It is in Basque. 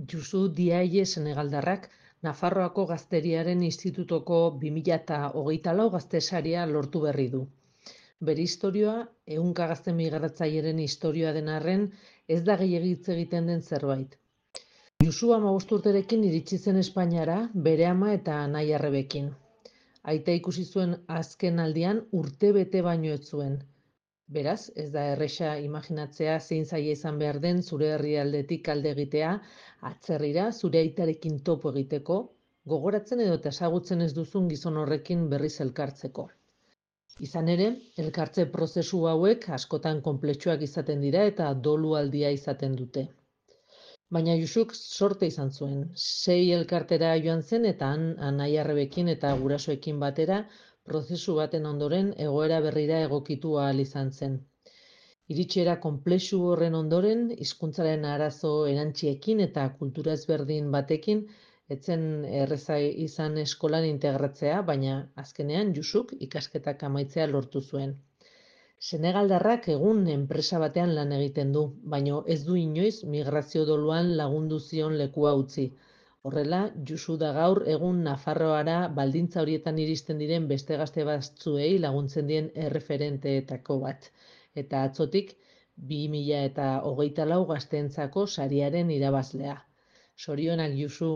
Jusu Diaye senegaldarrak Nafarroako Gazteriaren Institutoko 2024 gaztesaria lortu berri du. Bere istorioa, ehunka gazte migratzaileren istorioa den arren, ez da gehiegi hitz egiten den zerbait. Jusu 15 urterekin iritsi zen Espainiara, bere ama eta anai-arrebekin. Aita ikusi zuen azken aldian urtebete baino ez zuen. Beraz, ez da erresa imaginatzea zein zaila izan behar den zure herrialdetik alde egitea, atzerrira zure aitarekin topo egiteko, gogoratzen edo ezagutzen ez duzun gizon horrekin berriz elkartzeko. Izan ere, elkartze prozesu hauek askotan konplexuak izaten dira eta dolualdia izaten dute. Baina Jusuk sorte izan zuen. 6 elkartera joan zen eta han anai-arrebekin eta gurasoekin batera prozesu baten ondoren egoera berrira egokitu ahal izan zen. Iritsiera konplexu horren ondoren, hizkuntzaren arazo erantsiekin eta kultura ezberdin batekin, etzen erreza izan eskolan integratzea, baina azkenean Jusuk ikasketak amaitzea lortu zuen. Senegaldarrak egun enpresa batean lan egiten du, baina ez du inoiz migrazio doluan lagundu zion lekua utzi. Horrela, Jusu da gaur egun Nafarroara baldintza horietan iristen diren beste gazte batzuei laguntzen dien erreferenteetako bat. Eta atzotik, 2024 gazteentzako sariaren irabazlea. Sorionak, Jusu.